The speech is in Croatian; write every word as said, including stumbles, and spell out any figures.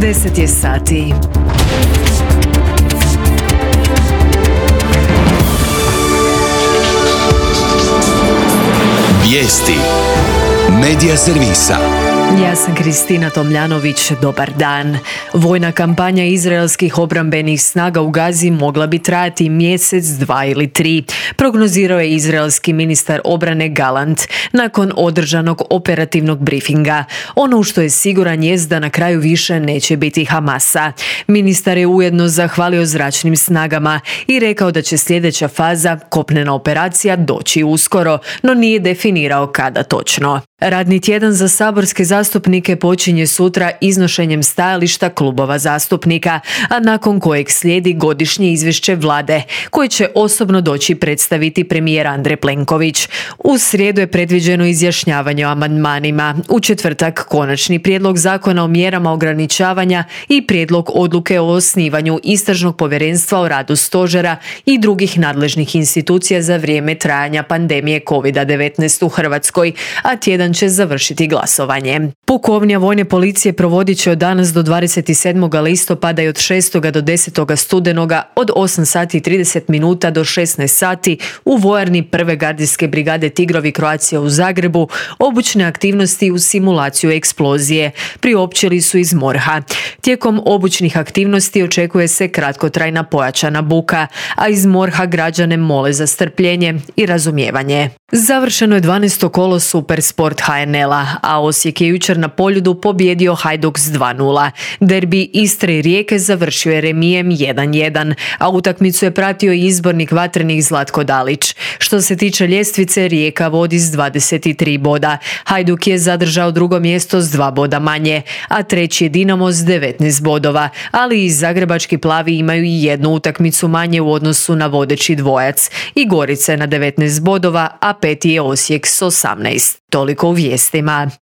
deset je sati. Vijesti Medija servisa. Ja sam Kristina Tomljanović, dobar dan. Vojna kampanja izraelskih obrambenih snaga u Gazi mogla bi trajati mjesec, dva ili tri, prognozirao je izraelski ministar obrane Galant nakon održanog operativnog brifinga. Ono u što je siguran jest da na kraju više neće biti Hamasa. Ministar je ujedno zahvalio zračnim snagama i rekao da će sljedeća faza, kopnena operacija, doći uskoro, no nije definirao kada točno. Radni tjedan za saborske zastupnike počinje sutra iznošenjem stajališta klubova zastupnika, a nakon kojeg slijedi godišnje izvješće vlade, koje će osobno doći predstaviti premijer Andrej Plenković. U srijedu je predviđeno izjašnjavanje o amandmanima, u četvrtak konačni prijedlog zakona o mjerama ograničavanja i prijedlog odluke o osnivanju istražnog povjerenstva o radu stožera i drugih nadležnih institucija za vrijeme trajanja pandemije kovid devetnaest u Hrvatskoj, a tjedan će završiti glasovanje. Pukovnija vojne policije provodit će od danas do dvadeset sedmog listopada i od šestog do desetog studenoga od osam sati i trideset minuta do šesnaest sati u vojarni prve gardijske brigade Tigrovi Croatia u Zagrebu obučne aktivnosti u simulaciju eksplozije. Priopćili su iz MORH-a. Tijekom obučnih aktivnosti očekuje se kratkotrajna pojačana buka, a iz MORH-a građane mole za strpljenje i razumijevanje. Završeno je dvanaesto kolo Supersport ha en el-a, a Osijek je jučer na Poljudu pobijedio Hajduk s dva nula. Derbi Istre i Rijeke završio je remijem jedan jedan, a utakmicu je pratio i izbornik vatrenih Zlatko Dalić. Što se tiče ljestvice, Rijeka vodi s dvadeset tri boda. Hajduk je zadržao drugo mjesto s dva boda manje, a treći je Dinamo s devetnaest bodova, ali i zagrebački plavi imaju i jednu utakmicu manje u odnosu na vodeći dvojac. I Gorica je na devetnaest bodova, a peti je Osijek s osamnaest. Toliko u vijestima.